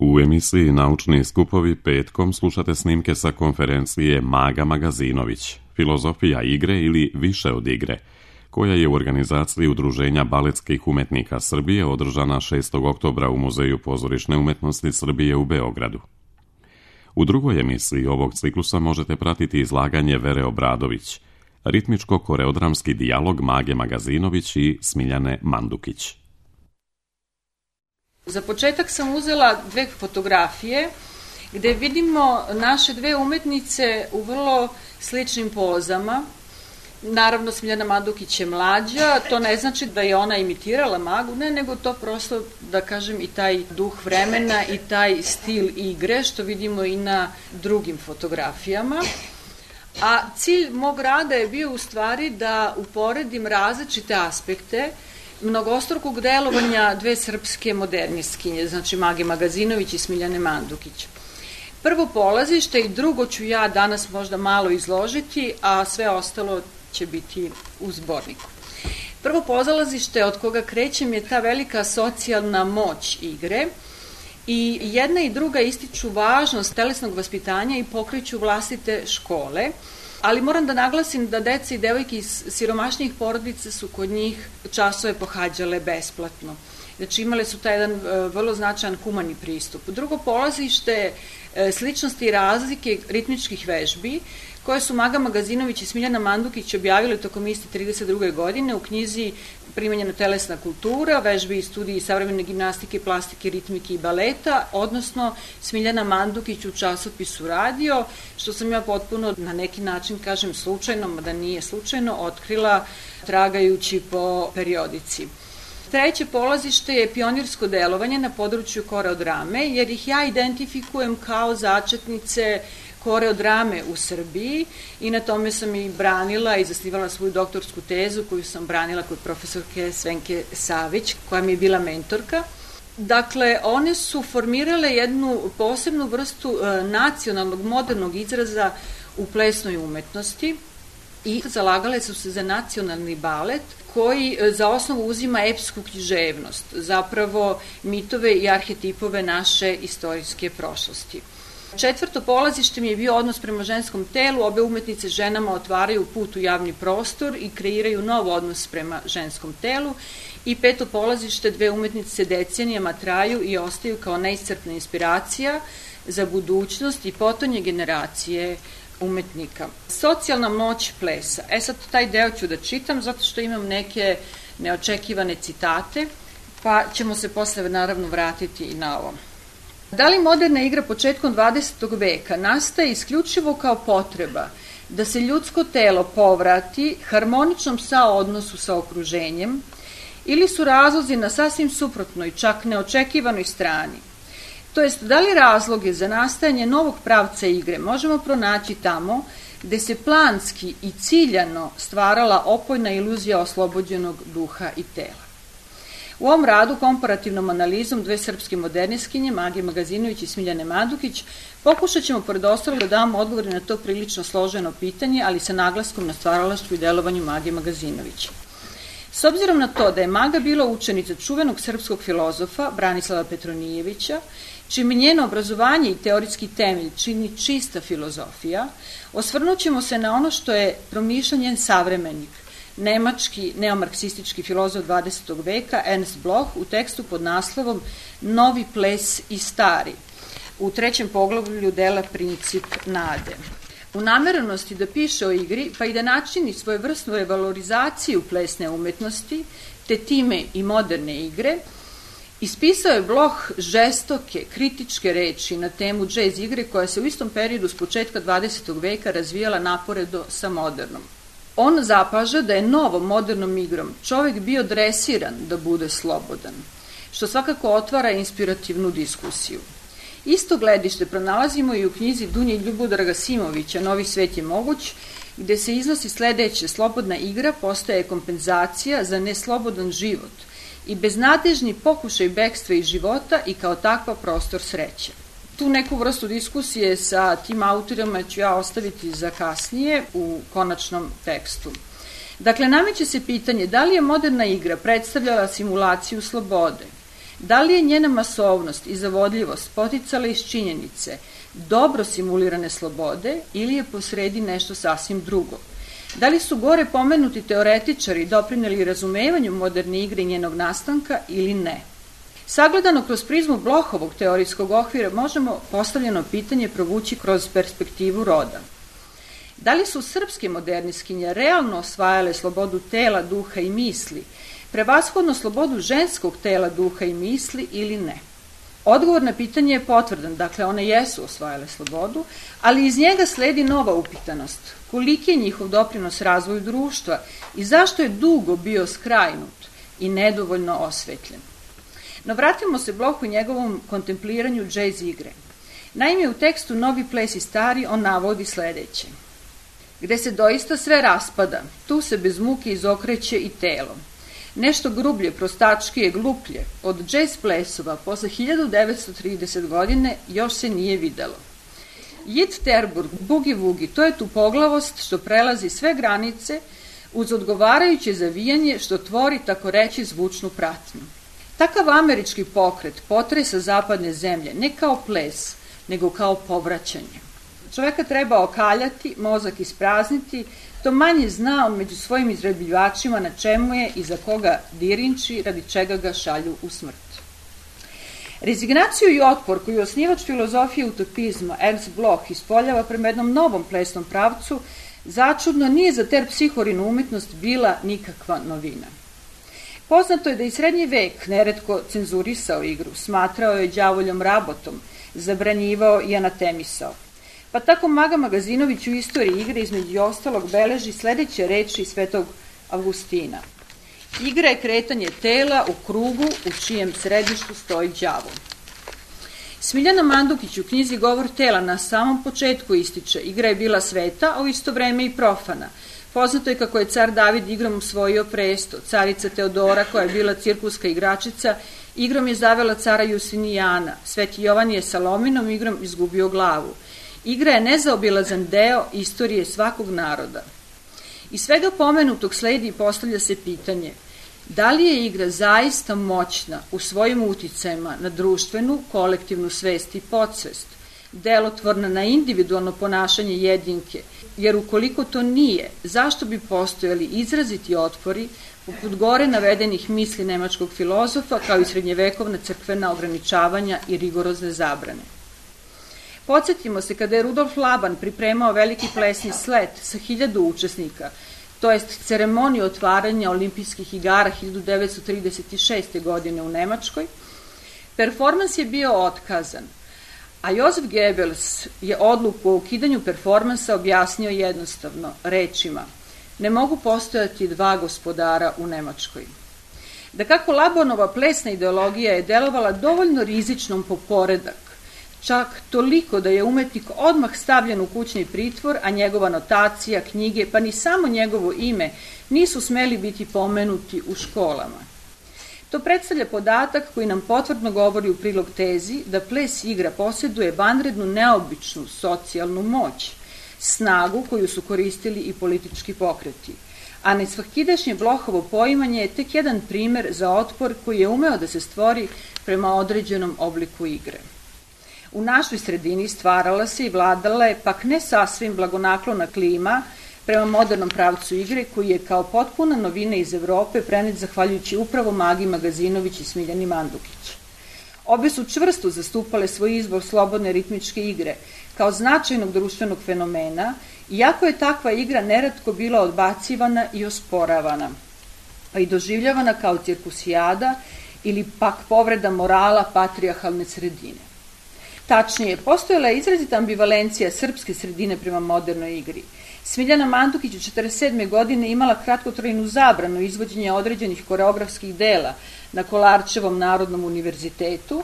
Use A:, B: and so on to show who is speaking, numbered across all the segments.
A: U emisiji Naučni skupovi petkom slušate snimke sa konferencije Maga Magazinović, filozofija igre ili više od igre, koja je u organizaciji Udruženja baletskih umetnika Srbije održana 6. oktobra u Muzeju pozorišne umetnosti Srbije u Beogradu. U drugoj emisiji ovog ciklusa možete pratiti izlaganje Vere Obradović, ritmičko-koreodramski dijalog Mage Magazinović i Smiljane Mandukić.
B: Za početak sam uzela dve fotografije gde vidimo naše dve umetnice u vrlo sličnim pozama. Naravno, Smiljana Mandukić je mlađa, to ne znači da je ona imitirala Magu, ne, nego to prosto, da kažem, i taj duh vremena i taj stil igre, što vidimo i na drugim fotografijama. A cilj mog rada je bio u stvari da uporedim različite aspekte mnogostrukog delovanja dve srpske modernistkinje, znači Mage Magazinović i Smiljane Mandukić. Prvo polazište i drugo ću ja danas možda malo izložiti, a sve ostalo će biti u zborniku. Prvo polazište od koga krećem je ta velika socijalna moć igre i jedna i druga ističu važnost telesnog vaspitanja i pokreću vlastite škole, ali moram da naglasim da deca i devojke iz siromašnijih porodica su kod njih časove pohađale besplatno. Znači imale su taj jedan vrlo značajan humani pristup. Drugo polazište sličnosti i razlike ritmičkih vežbi koje su Maga Magazinović i Smiljana Mandukić objavile tokom iste 32. godine u knjizi Primenjena telesna kultura, vežbe i studiji savremene gimnastike, plastike, ritmike i baleta, odnosno Smiljana Mandukić u časopisu Radio, što sam ja potpuno na neki način, kažem slučajno, mada nije slučajno, otkrila tragajući po periodici. Treće polazište je pionirsko delovanje na području koreodrame, jer ih ja identifikujem kao začetnice koreodrame u Srbiji i na tome sam i branila i zasnivala svoju doktorsku tezu koju sam branila kod profesorke Svenke Savić, koja mi je bila mentorka. Dakle, one su formirale jednu posebnu vrstu nacionalnog modernog izraza u plesnoj umetnosti i zalagale su se za nacionalni balet koji za osnovu uzima epsku književnost, zapravo mitove i arhetipove naše istorijske prošlosti. Četvrto polazište mi je bio odnos prema ženskom telu, obe umetnice ženama otvaraju put u javni prostor i kreiraju nov odnos prema ženskom telu. I peto polazište, dve umetnice decenijama traju i ostaju kao neiscrpna inspiracija za budućnost i potonje generacije umetnika. Socijalna moć plesa. Sad taj deo ću da čitam zato što imam neke neočekivane citate, pa ćemo se posle naravno vratiti i na ovo. Da li moderna igra početkom 20. veka nastaje isključivo kao potreba da se ljudsko telo povrati harmoničnom saodnosu sa okruženjem ili su razlozi na sasvim suprotnoj, čak neočekivanoj strani? To jest, da li razloge za nastajanje novog pravca igre možemo pronaći tamo gde se planski i ciljano stvarala opojna iluzija oslobođenog duha i tela? U ovom radu, komparativnom analizom dve srpske modernistkinje, Mage Magazinović i Smiljane Mandukić, pokušat ćemo pored ostalog da damo odgovore na to prilično složeno pitanje, ali sa naglaskom na stvaralaštvu i delovanju Mage Magazinović. S obzirom na to da je Maga bila učenica čuvenog srpskog filozofa Branislava Petronijevića, čime njeno obrazovanje i teorijski temelj čini čista filozofija, osvrnut ćemo se na ono što je promišljao njen savremenik, nemački neomarksistički filozof 20. veka Ernst Bloch u tekstu pod naslovom Novi ples i stari, u trećem poglavlju dela Princip nade. U namerenosti da piše o igri, pa i da načini svojevrsnu revalorizaciju plesne umetnosti, te time i moderne igre, ispisao je Bloch žestoke, kritičke reči na temu džez igre koja se u istom periodu s početka 20. veka razvijala naporedo sa modernom. On zapaža da je novom modernom igrom čovek bio dresiran da bude slobodan, što svakako otvara inspirativnu diskusiju. Isto gledište pronalazimo i u knjizi Dunje Ljubodraga Simovića Novi svet je moguć, gde se iznosi sledeće: slobodna igra postaje kompenzacija za neslobodan život i beznadežni pokušaj bekstva iz života i kao takva prostor sreće. Tu neku vrstu diskusije sa tim autorima ću ja ostaviti za kasnije u konačnom tekstu. Dakle, nameće se pitanje da li je moderna igra predstavljala simulaciju slobode, Da li je njena masovnost i zavodljivost poticala iz činjenice dobro simulirane slobode ili je posredi nešto sasvim drugo? Da li su gore pomenuti teoretičari doprineli razumevanju moderne igre i njenog nastanka ili ne? Sagledano kroz prizmu Blochovog teorijskog okvira možemo postavljeno pitanje provući kroz perspektivu roda. Da li su srpske moderniskinje realno osvajale slobodu tela, duha i misli, prevashodno slobodu ženskog tela, duha i misli ili ne? Odgovor na pitanje je potvrdan, dakle one jesu osvajale slobodu, ali iz njega sledi nova upitanost. Koliki je njihov doprinos razvoju društva i zašto je dugo bio skrajnut i nedovoljno osvetljen? No vratimo se Blochu i njegovom kontempliranju džez igre. Naime, u tekstu Novi ples i stari on navodi sledeće. Gde se doista sve raspada, tu se bez muke izokreće i telo. Nešto grublje, prostačkije, gluplje od džez plesova posle 1930 godine još se nije videlo. Jit Terburg, bugi vugi, to je tu poglavost što prelazi sve granice uz odgovarajuće zavijanje što tvori tako reći zvučnu pratnju. Takav američki pokret potresa zapadne zemlje ne kao ples, nego kao povraćanje. Čoveka treba okaljati, mozak isprazniti, to manje zna on među svojim izrabljivačima na čemu je i za koga dirinči, radi čega ga šalju u smrt. Rezignaciju i otpor koju osnivač filozofije utopizma Ernst Bloch ispoljava prema jednom novom plesnom pravcu, začudno nije za terpsihorinu umetnost bila nikakva novina. Poznato je da i srednji vek neretko cenzurisao igru, smatrao je đavoljom rabotom, zabranjivao i anatemisao. Pa tako Maga Magazinović u istoriji igre između ostalog beleži sledeće reči Svetog Avgustina. Igra je kretanje tela u krugu u čijem središtu stoji đavo. Smiljana Mandukić u knjizi Govor tela na samom početku ističe, igra je bila sveta, a u isto vreme i profana. Poznato je kako je car David igrom osvojio presto, carica Teodora koja je bila cirkuska igračica, igrom je zavela cara Jusinijana, Sveti Jovan je Salominom igrom izgubio glavu. Igra je nezaobilazan deo istorije svakog naroda. Iz svega pomenutog sledi i postavlja se pitanje da li je igra zaista moćna u svojim uticajima na društvenu, kolektivnu svest i podsvest, delotvorna na individualno ponašanje jedinke, jer ukoliko to nije, zašto bi postojali izraziti otpori poput gore navedenih misli nemačkog filozofa kao i srednjevekovna crkvena ograničavanja i rigorozne zabrane. Podsjetimo se kada je Rudolf Laban pripremao veliki plesni slet sa 1000 učesnika, to jest ceremoniju otvaranja olimpijskih igara 1936. godine u Nemačkoj, performans je bio otkazan, a Josef Goebbels je odluku o ukidanju performansa objasnio jednostavno, rečima: ne mogu postojati dva gospodara u Nemačkoj. Da kako Labanova plesna ideologija je delovala dovoljno rizičnom po poredak, čak toliko da je umetnik odmah stavljen u kućni pritvor, a njegova notacija, knjige, pa ni samo njegovo ime nisu smeli biti pomenuti u školama. To predstavlja podatak koji nam potvrdno govori u prilog tezi da ples igra posjeduje vanrednu neobičnu socijalnu moć, snagu koju su koristili i politički pokreti. A nesvakidašnje Blochovo poimanje je tek jedan primer za otpor koji je umeo da se stvori prema određenom obliku igre. U našoj sredini stvarala se i vladala je pak ne sasvim blagonaklona klima prema modernom pravcu igre koji je kao potpuna novina iz Evrope prenet zahvaljujući upravo Magi Magazinović i Smiljani Mandukić. Obe su čvrsto zastupale svoj izbor slobodne ritmičke igre kao značajnog društvenog fenomena, iako je takva igra neretko bila odbacivana i osporavana, pa i doživljavana kao cirkusijada ili pak povreda morala patrijarhalne sredine. Tačnije, postojala je izrazita ambivalencija srpske sredine prema modernoj igri. Smiljana Mandukić u 1947. godine imala kratkotrajnu zabranu izvođenja određenih koreografskih dela na Kolarčevom Narodnom univerzitetu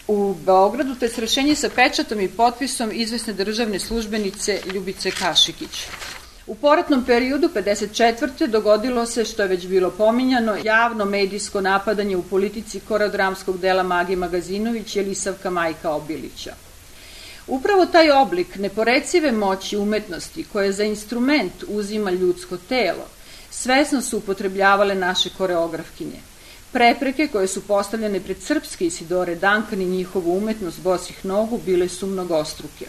B: u Beogradu, te srešenje sa pečatom i potpisom izvesne državne službenice Ljubice Kašikić. U poratnom periodu 1954. dogodilo se, što je već bilo pominjano, javno medijsko napadanje u politici koreodramskog dela Mage Magazinović i Elisavka Majka Obilića. Upravo taj oblik neporecive moći umetnosti koje za instrument uzima ljudsko telo, svesno su upotrebljavale naše koreografkinje. Prepreke koje su postavljene pred srpske Isidore Duncan i njihovu umetnost bosih nogu bile su mnogostruke.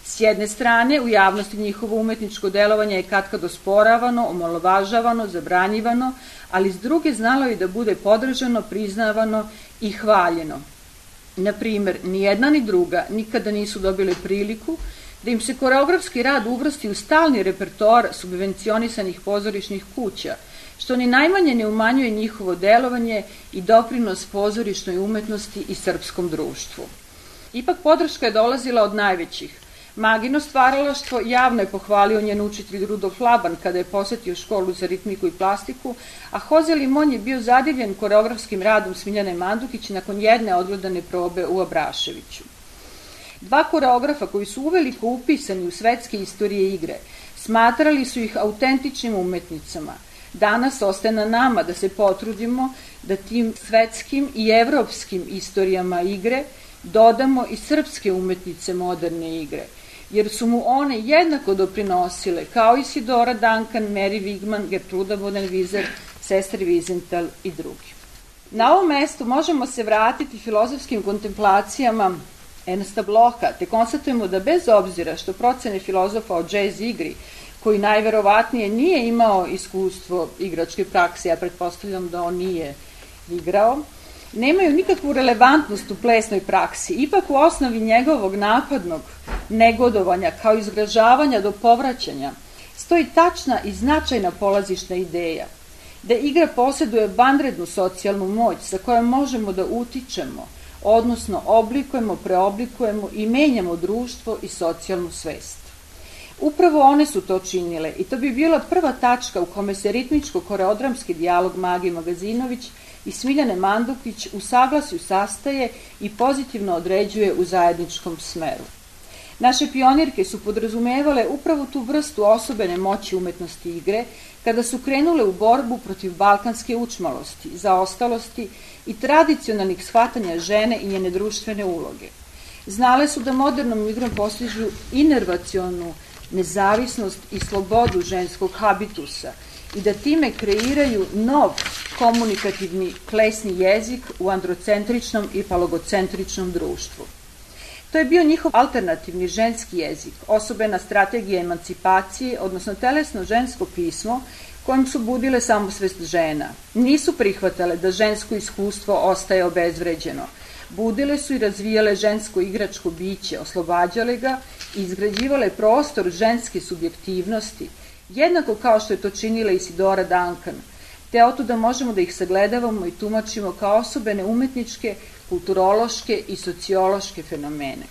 B: S jedne strane, u javnosti njihovo umetničko delovanje je katkad osporavano, omalovažavano, zabranjivano, ali s druge znalo i da bude podržano, priznavano i hvaljeno. Na primer, ni jedna ni druga nikada nisu dobile priliku da im se koreografski rad uvrsti u stalni repertoar subvencionisanih pozorišnih kuća, što ni najmanje ne umanjuje njihovo delovanje i doprinos pozorišnoj umetnosti i srpskom društvu. Ipak podrška je dolazila od najvećih. Magino stvaralaštvo javno je pohvalio njen učitelj Rudolf Laban kada je posetio školu za ritmiku i plastiku, a Jose Limon je bio zadivljen koreografskim radom Smiljane Mandukić nakon jedne odgledane probe u Abraševiću. Dva koreografa koji su uveliko upisani u svetske istorije igre, smatrali su ih autentičnim umetnicama. Danas ostaje na nama da se potrudimo da tim svetskim i evropskim istorijama igre dodamo i srpske umetnice moderne igre, jer su mu one jednako doprinosile, kao Isidora Duncan, Mary Wigman, Gertruda Bodenwieser, sestre Wiesenthal i drugi. Na ovom mestu možemo se vratiti filozofskim kontemplacijama Ernsta Blocha, te konstatujemo da bez obzira što procene filozofa o džez igri, koji najverovatnije nije imao iskustvo igračke prakse, ja pretpostavljam da on nije igrao, nemaju nikakvu relevantnost u plesnoj praksi. Ipak u osnovi njegovog napadnog negodovanja kao izgražavanja do povraćanja stoji tačna i značajna polazišna ideja da igra posjeduje vanrednu socijalnu moć sa kojom možemo da utičemo, odnosno oblikujemo, preoblikujemo i menjamo društvo i socijalnu svest. Upravo one su to činile i to bi bila prva tačka u kome se ritmičko-koreodramski dijalog Mage Magazinović i Smiljane Mandukić u saglasju sastaje i pozitivno određuje u zajedničkom smeru. Naše pionirke su podrazumevale upravo tu vrstu osobene moći umetnosti igre kada su krenule u borbu protiv balkanske učmalosti, zaostalosti i tradicionalnih shvatanja žene i njene društvene uloge. Znale su da modernom igrom postižu inervacionu nezavisnost i slobodu ženskog habitusa i da time kreiraju nov komunikativni plesni jezik u androcentričnom i falogocentričnom društvu. To je bio njihov alternativni ženski jezik, osobena strategija emancipacije, odnosno telesno žensko pismo kojim su budile samosvest žena. Nisu prihvatale da žensko iskustvo ostaje obezvređeno. Budile su i razvijale žensko igračko biće, oslobađale ga i izgrađivale prostor ženske subjektivnosti, jednako kao što je to činila Isidora Duncan, te otuda možemo da ih sagledavamo i tumačimo kao osobene umetničke, kulturološke i sociološke fenomene.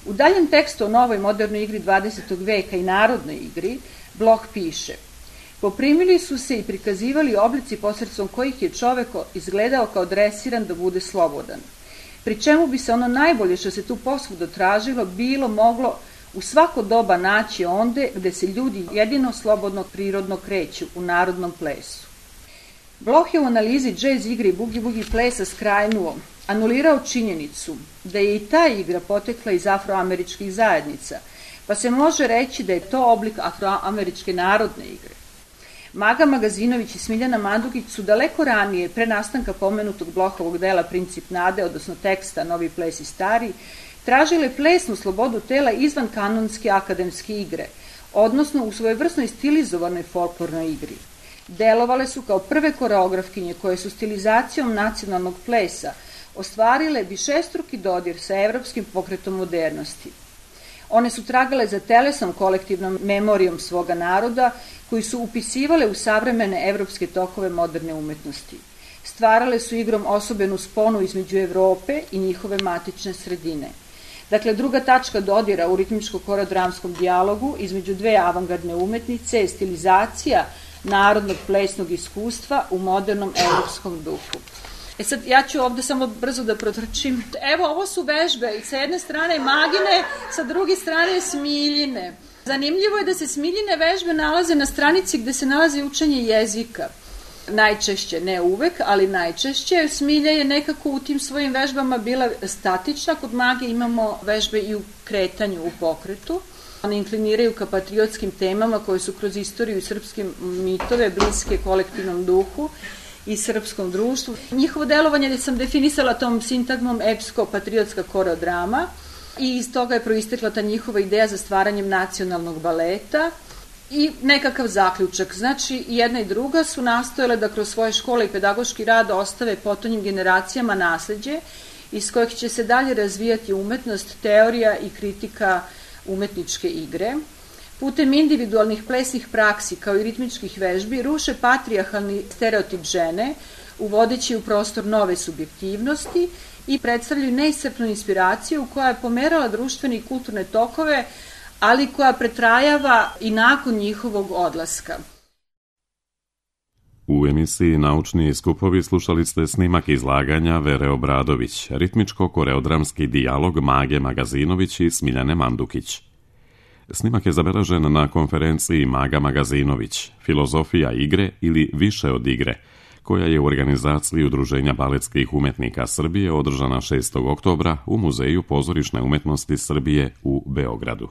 B: U daljem tekstu o novoj modernoj igri 20. veka i narodnoj igri, Bloch piše: poprimili su se i prikazivali oblici posredstvom kojih je čovek izgledao kao dresiran da bude slobodan, pri čemu bi se ono najbolje što se tu posvuda tražilo bilo moglo u svako doba naći onde gde se ljudi jedino slobodno prirodno kreću, u narodnom plesu. Bloch je u analizi džez igre i bugi-bugi plesa skrajnuo, anulirao činjenicu da je i ta igra potekla iz afroameričkih zajednica, pa se može reći da je to oblik afroameričke narodne igre. Maga Magazinović i Smiljana Mandukić su daleko ranije, pre nastanka pomenutog Blochovog dela Princip nade, odnosno teksta Novi ples i stari, tražile plesnu slobodu tela izvan kanonske akademske igre, odnosno u svojevrsnoj stilizovanoj folklornoj igri. Delovale su kao prve koreografkinje koje su stilizacijom nacionalnog plesa ostvarile višestruki dodir sa evropskim pokretom modernosti. One su tragale za telesom kolektivnom memorijom svoga naroda, koji su upisivale u savremene evropske tokove moderne umetnosti. Stvarale su igrom osobenu sponu između Evrope i njihove matične sredine. Dakle, druga tačka dodira u ritmičko-koreodramskom dijalogu između dve avangardne umetnice je stilizacija narodnog plesnog iskustva u modernom evropskom duhu. Sad, ja ću ovde samo brzo da protrčim. Evo, ovo su vežbe, sa jedne strane Magine, sa druge strane Smiljine. Zanimljivo je da se Smiljine vežbe nalaze na stranici gde se nalazi učenje jezika. Najčešće, ne uvek, ali najčešće. Smilja je nekako u tim svojim vežbama bila statična, kod Mage imamo vežbe i u kretanju, u pokretu. One inkliniraju ka patriotskim temama koje su kroz istoriju i srpske mitove bliske kolektivnom duhu i srpskom društvu. Njihovo delovanje sam definisala tom sintagmom epsko-patriotska koreodrama i iz toga je proistekla ta njihova ideja za stvaranjem nacionalnog baleta i nekakav zaključak. Znači, jedna i druga su nastojale da kroz svoje škole i pedagoški rad ostave potonjim generacijama nasleđe iz kojeg će se dalje razvijati umetnost, teorija i kritika umetničke igre. Putem individualnih plesnih praksi kao i ritmičkih vežbi ruše patrijarhalni stereotip žene, uvodeći u prostor nove subjektivnosti i predstavljaju neiscrpnu inspiraciju koja je pomerala društvene i kulturne tokove, ali koja pretrajava i nakon njihovog odlaska.
A: U emisiji Naučni skupovi slušali ste snimak izlaganja Vere Obradović, ritmičko-koreodramski dijalog Mage Magazinović i Smiljane Mandukić. Snimak je zabeležen na konferenciji Maga Magazinović, Filozofija igre ili više od igre, koja je u organizaciji Udruženja baletskih umetnika Srbije održana 6. oktobra u Muzeju pozorišne umetnosti Srbije u Beogradu.